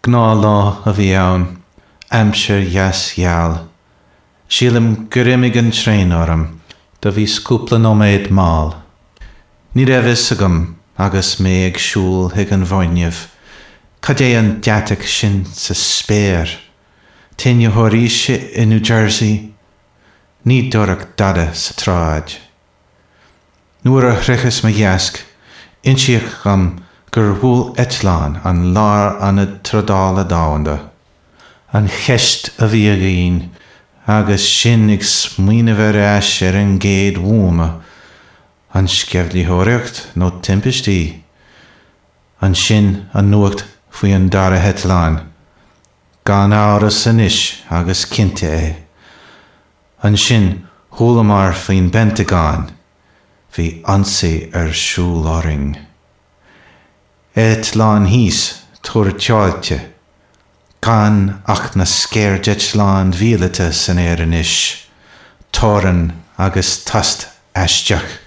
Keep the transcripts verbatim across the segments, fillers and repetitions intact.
Gnáthlá a bhí ann, aimsir dheas gheal. Sílim gur imigh an traein orm, do bhíos cúpla nóiméad mall. Ní raibh fhios agam agus mé ag siúl chuig an bhfoirgneamh, cad é an deatach sin sa spéir? Tine fhoraoise i New Jersey? Ní dúradh dada sa tsráid. Nuair a shroicheas mo dheasc, insíodh dom gur bhuail eitleán an Lárionad Trádála Domhanda. An cheist a bhí againn agus sinn ag smaoineamh ar ais ar an gcéad bhuama, an sceimhlitheoireacht nó timpistí? Ansin an nuacht faoi an dara heitleán. Gan amhras anois agus cinnte é. Ansin chualamar faoin bPentagon. Bhí ionsaí ar siúl orainn. Eitleán thíos, tuairteáilte. Gan ach na sceirdeitleáin mhíleata san aer anois. Torann agus tost aisteach.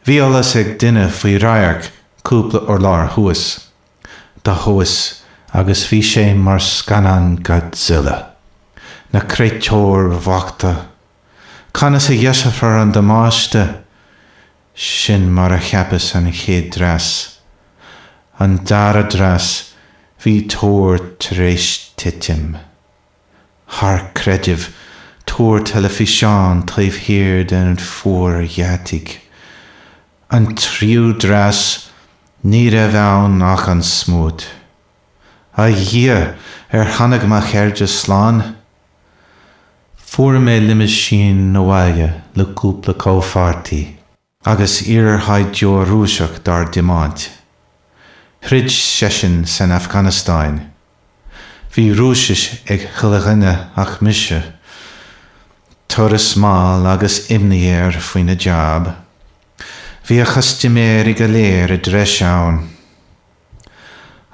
Bhí eolas ag duine faoi radharc cúpla urlár thuas. Do thomhas agus bhí sé mar scannán Godzilla. Na créatúir bhochta. Conas a dheiseofar an damáiste? Sin mar a cheapas an chéad dreas. An dara dreas, bhí túr tar éis titim. Thar creideamh, túr teilifíseáin taobh thiar den phúir dheataigh. An tríú dreas, ní raibh ann ach an smúit. A Dhia, ar tháinig mo chairde slán? Fuair mé limisín abhaile le cúpla comhpháirtí agus iarshaighdiúir Rúiseach dár dtiomáint. Throid seisean san Afganastáin. Bhí Rúisis ag chuile dhuine ach mise. Turas mall agus imní air faoina jab. Bhí a chustaiméirí go léir i dtreis ann.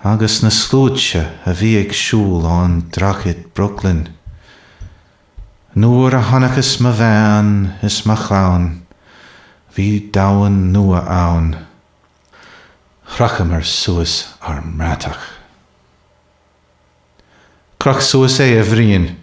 Agus na sluaite a bhí ag siúl ón droichead Brooklyn. Nuair a chonaiceas mo bhean is mo chlann, bhí domhan nua ann. Chrochamar suas ár mbratach. Croch suas é, a Bhriain.